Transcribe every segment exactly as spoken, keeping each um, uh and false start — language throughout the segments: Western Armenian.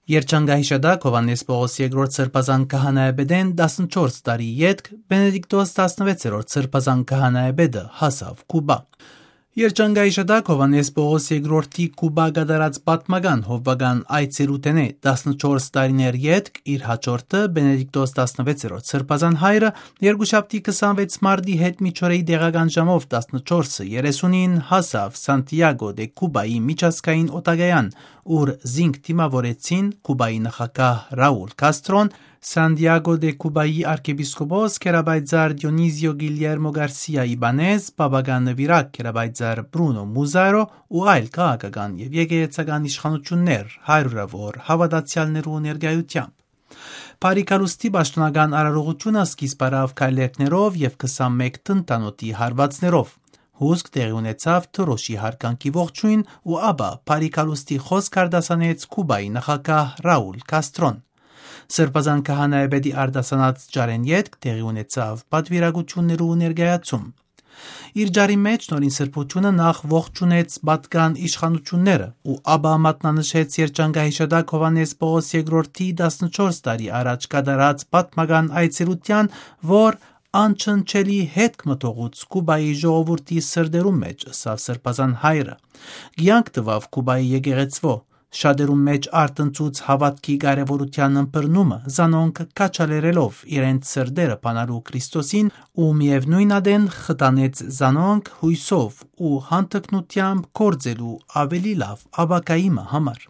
Երջանկահիշատակ Հովհաննէս Պողոս երկրորդ Սրբազան քահանայապետէն տասնչորս տարի ետք Բենեդիկտոս տասնվեցերորդ Սրբազան քահանայապետը հասաւ Կուբա։ Երջանկահիշատակ Հովհաննէս Պողոս երկրորդի Կուբա կատարած պատմական հովուական այցելութենէ տասնչորս տարիներ ետք իր հաջորդը Բենեդիկտոս տասնվեցերորդ Սրբազան հայրը երկուշաբթի քսանվեց մարտի հետ միջօրեի տեղական ժամով տասնչորսը երեսունին հասաւ Սանտիագո դե Կուբայի միջազգային օտակայան, ուր զինք դիմաւորեցին Կուբայի նախագահ Ռաուլ Քաստրոն, Սանտիագո դե Կուբայի արքեպիսկոպոս գերապայծառ Դիոնիզիո Գիլյերմո Գարսիա Իբանեզ, պապական նուիրակ գերապայծառ Բրունո Մուզարո ու այլ քաղաքական եւ եկեղեցական իշխանություններ, հարիւրաւոր հաւատացեալներու ներկայութեամբ։ Բարի գալուստի պաշտօնական արարողութիւնը սկիզբ առաւ քայլերգներով եւ քսանմէկ տնտանոթի հարուածներով։ Հուսկ տեղի ունեցաւ Թրոշի յարգանքի ողջոյն ու ապա բարի գալուստի խօսք արտասանեց Կուբայի նախագահ Ռաուլ Քաստրոն։ Սրբազան քահանայապետի արտասանած ճառեն ետք տեղի ունեցաւ պատուիրակութիւններու ներկայացում։ Իր ճառի մէջ նորին սրբութիւնը նախ ողջունեց պատկան իշխանությունները ու ապա մատնանշեց երջանկահիշատակ Հովհաննէս Պողոս երկրորդի տասնչորս տարի առաջ կատարած պատմական այցելութեան, որ անչնչելի հետք մը թողուց Կուբայի ժողովուրդի սրտերուն մէջ, ըսաւ Սրբազան հայրը։ Կեանք տուաւ Կուբայի եկեղեցւոյ, շատերուն մէջ արթնցուց հաւատքի կարեւորութեան ըմբռնումը, զանոնք քաջալերելով իրենց սրտերը բանալու Քրիստոսին ու միեւնոյն ատեն խթանեց զանոնք յոյսով ու հանդգնութեամբ գործելու աւելի լաւ ապագայի մը համար։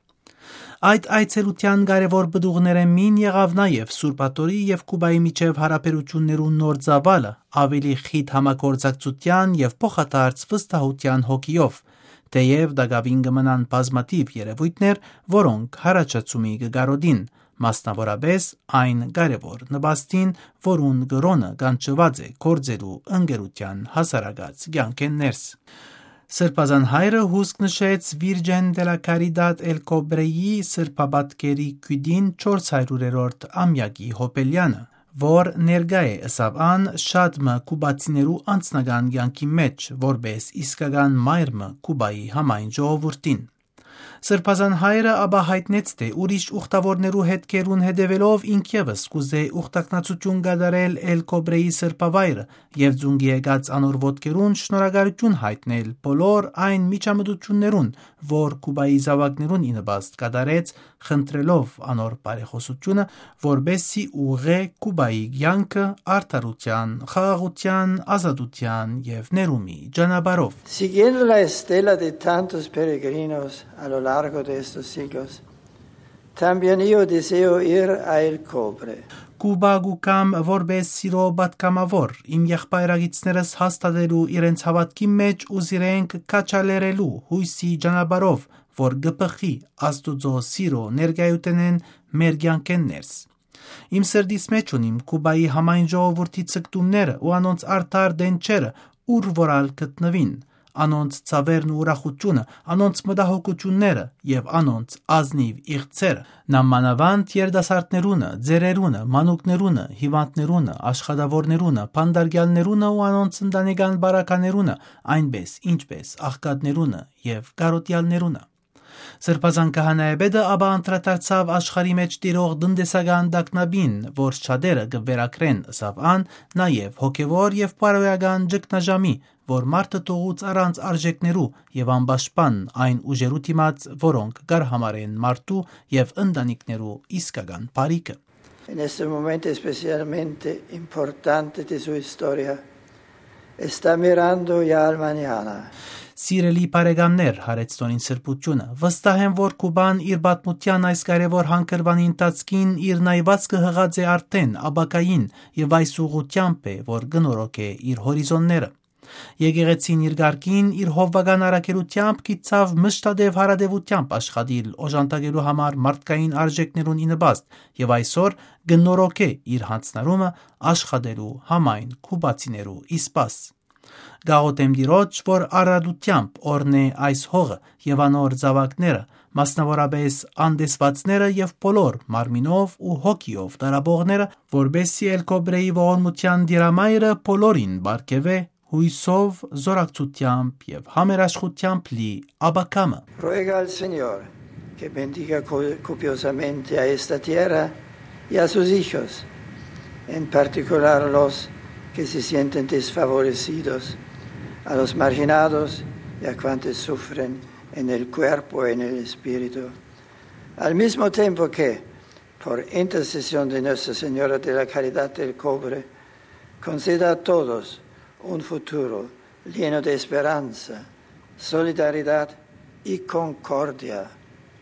Այդ այցելութեան կարեւոր պտուղներէն մին եղաւ նաեւ Սուրբ Աթոռի եւ Կուբայի միջեւ յարաբերութիւններուն նոր ծաւալը, աւելի խիտ համագործակցութեան եւ փոխադարձ վստահութեան հոգիով, թէեւ տակաւին կը մնան բազմաթիւ երեւոյթներ, որոնք յառաջացումի կը կարօտին, մասնաւորապէս այն կարեւոր նպաստին, որուն կրօնը կանչուած է գործելու ընկերութեան հասարակաց կեանքէն ներս։ Սրբազան հայրը հուսկ նշեց Virgen de la Caridad El Cobrei սրբապատկերի գիւտին չորս հարիւրերորդ ամեակի յոբելեանը, որ ներկայ է, ըսաւ ան, շատ մը կուբացիներու անձնական կեանքի մէջ, որպէս իսկական մայր մը Կուբայի համայն ժողովուրդին։ Սրբազան հայրը ապա յայտնեց, թէ ուրիշ ուխտաւորներու հետքերուն հետեւելով ինք եւս կ'ուզէ ուխտակնացութիւն կատարել El Cobrei սրբավայրը եւ ծունկի եկած անոր ոտքերուն շնորհակալութիւն յայտնել բոլոր այն միջամտութիւններուն, որ Կուբայի զաւակներուն ի նպաստ կատարեց, խնդրելով անոր բարեխօսութիւնը, որպէս զի ուղղէ Կուբայի կեանքը արդարութեան, խաղաղութեան, ազատութեան եւ ներումի ճանապարհով։ Siguiendo la estela de tantos peregrinos a lo largo de estos siglos, también yo deseo ir a El Cobre. Կուբա կու գամ որպէս սիրոյ պատգամաւոր, իմ եղբայրագիցներս հաստատելու իրենց հաւատքի մէջ ու զիրենք քաջալերելու յոյսի ճանապարհով, որ կը բխի Աստուծոյ սիրոյ ներկայութենէն մեր կեանքէն ներս։ Իմ սրտիս մէջ ունիմ Կուբայի համայն ժողովուրդի ձգտումները ու անոնց արդար տենչերը, ուր որ ալ գտնուին, անոնց ցաւերն ու ուրախութիւնը, անոնց մտահոգութիւնները եւ անոնց ազնիւ իղձերը, նամանաւանդ երիտասարդներունը, ծերերունը, մանուկներունը, հիւանդներունը, աշխատաւորներունը, բանտարկեալներունը ու անոնց ընտանեկան բարագաներունը, այնպէս ինչպէս աղքատներունը եւ կարօտեալներունը։ Սրբազան քահանայապետը ապա անդրադարձաւ աշխարհի մէջ տիրող տնտեսական տագնապին, որ շատերը կը վերագրեն, ըսաւ ան, նաեւ հոգեւոր եւ բարոյական ճգնաժամի, որ մարդը թողուց առանց արժեքներու եւ անպաշտպան այն ուժերու դիմաց, որոնք կ'արհամարեն մարդու եւ ընտանիքներու իսկական բարիքը։ En este momento especialmente importante de su historia, está mirando ya al mañana. Սիրելի բարեկամներ, յարեց նորին սրբութիւնը, վստահ եմ, որ Կուբան իր պատմութեան այս կարեւոր հանգրուանի ընթացքին իր նայվածքը յղած է արդէն ապագային եւ այս ուղղութեամբ է, որ կը նորոգէ իր հորիզոնները։ Եկեղեցին իր կարգին, իր հովուական առաքելութեամբ գիտցաւ մշտատեւ յարատեւութեամբ աշխատիլ օժանդակելու համար մարդկային արժեքներուն ի նպաստ եւ այսօր կը նորոգէ իր յանձնարումը աշխատելու համայն կուբացիներու ի սպաս։ Կաղոթեմ Տիրոջ, որ առատութեամբ օրհնէ այս հողը եւ անոր զաւակները, մասնաւորապէս անտեսուածները եւ բոլոր մարմինով ու հոգիով տառապողները, որպէս զի El Cobre-ի ողորմութեան տիրամայրը բոլորին պարգեւէ յոյսով, զօրակցութեամբ եւ համերաշխութեամբ լի ապագայ մը։ Ruega al Señor Que bendiga co- copiosamente a esta tierra y a sus hijos, en particular los que se sienten desfavorecidos, a los marginados y a cuantos sufren en el cuerpo y en el espíritu. Al mismo tiempo que, por intercesión de Nuestra Señora de la Caridad del Cobre, conceda a todos un futuro lleno de esperanza, solidaridad y concordia.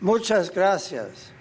Muchas gracias.